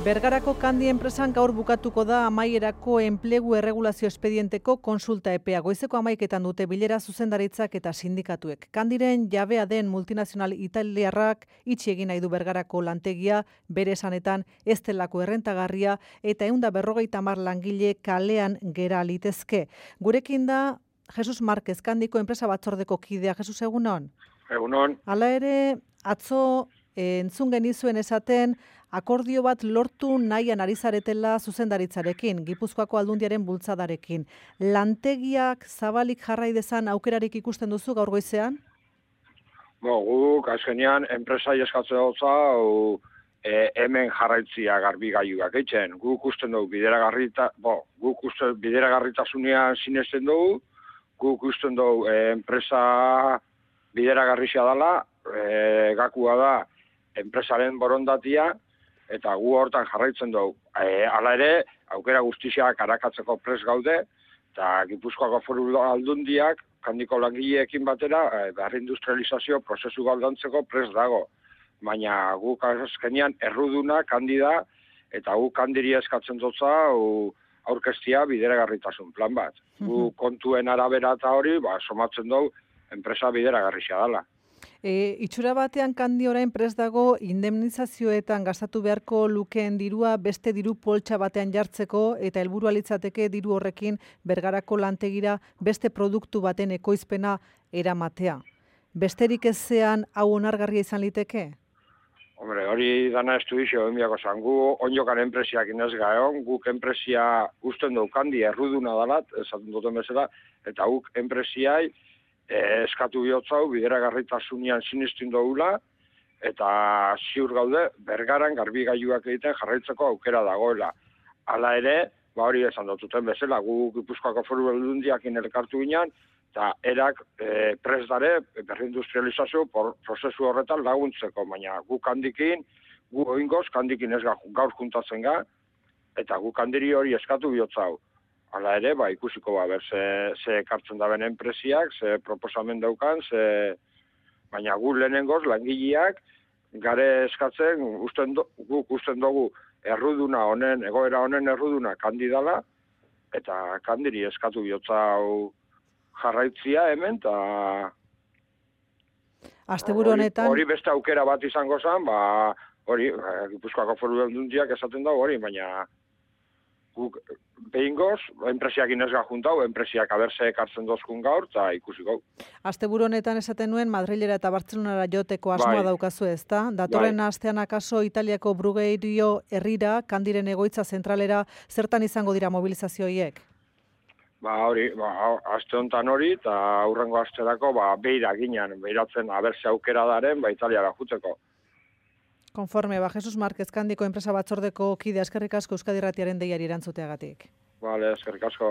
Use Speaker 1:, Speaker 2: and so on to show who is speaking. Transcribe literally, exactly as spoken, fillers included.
Speaker 1: Bergarako Kandi enpresan gaur bukatuko da amaierako enplegu erregulazio espedienteko konsulta epea. Goizeko hamaiketan dute bilera zuzendaritzak eta sindikatuek. Kandiren jabea den multinazional italiarrak itxi egin nahi du Bergarako lantegia, bere esanetan ez delako errentagarria eta ehun eta berrogeita hamar langile kalean gera litezke. Gurekin da Jesus Marquez, Kandiko enpresa batzordeko kidea. Jesus, egunon?
Speaker 2: Egunon.
Speaker 1: Hala ere, atzo eh, entzun genizuen esaten akordio bat lortu nahian ari zaretela zuzendaritzarekin, Gipuzkoako Aldundiaren bultzadarekin. Lantegiak zabalik jarrai dezan aukerarik ikusten duzu gaur goizean?
Speaker 2: Bo, guk azkenean enpresai eskatzen dutza, o, e, hemen jarraitzia garbi gaiuak eitzen. Guk usten dugu bideragarrita, bo, guk usten bideragarritasunean sinesten dugu, guk usten dugu e, enpresa bideragarrizia dela, e, gakua da enpresaren borondatia, eta gu hortan jarraitzen dugu. E, hala ere, aukera guztiak arakatzeko pres gaude, eta Gipuzkoako Foru Aldundiak, Kandiko langileekin batera, e, behar industrializazio prozesu galdantzeko pres dago. Baina guk azkenean erruduna, kandida, eta guk kandiri eskatzen dutza, aurkeztia bideragarritasun plan bat. Gu kontuen arabera eta hori, ba, somatzen dugu, enpresa bideragarrizia dela.
Speaker 1: E, itxura batean Kandi orain prest dago indemnizazioetan gastatu beharko lukeen dirua beste diru poltsa batean jartzeko eta helburua litzateke diru horrekin Bergarako lantegira beste produktu baten ekoizpena eramatea. Besterik ezean hau onargarria izan liteke?
Speaker 2: Hombre, hori dana estudizio enbiako zan. Gu onjokan enpresiak inez gaeon, guk enpresia usten dugu Kandi erruduna dalat, esaten duten bezala, eta guk enpresiai E, eskatu bihotzau, bideragarritasunean sinistin dugula, eta ziur gaude, Bergaran garbi gaiuak egiten jarraitzeko aukera dagoela. Hala ere, ba hori esan dututen bezala, gu Gipuzkoako Foru Aldundiakin elkartu ginen, eta erak e, presdare berrindustrializazio prozesu horretan laguntzeko, baina gu Kandikin, gu oingoz, Kandikin ez gaur juntatzen ga, eta gu Kandiri hori eskatu bihotzau. Hala ere, ba, ikusiko ba, ber, ze, ze ekartzen da ben enpresiak, ze proposamen daukan, ze... baina gu lehenengoz, langileak, gare eskatzen, usten do, guk usten dugu erruduna honen, egoera honen erruduna kandidala, eta Kandiri eskatu bihotza hau jarraitzia hemen, eta...
Speaker 1: Asteburu honetan...
Speaker 2: Hori beste aukera bat izango zen, ba, hori, Gipuzkoako Foru Aldundiak esaten dago hori, baina... Guk behingoz, enpresiak inezga juntau, enpresiak aberse ekartzen dozkun gaur, eta ikusiko.
Speaker 1: Asteburu honetan esaten nuen, Madrilera eta Bartzelonara joteko asmoa bai. Daukazu ezta? Datorren bai. Astean akaso Italiako Brugeirio herrira, Kandiren egoitza zentralera, zertan izango dira mobilizazioiek?
Speaker 2: Ba hori, ba, aste honetan hori, eta aurrengo asterako, ba, beira ginen, beiratzen aberse aukera daren, ba, Italiara juteko.
Speaker 1: Konforme, ba, Jesus Marquez, Kandiko enpresa batzordeko kide, eskerrik asko Euskadi Irratiaren deiari erantzuteagatik.
Speaker 2: Vale, eskerrik asko.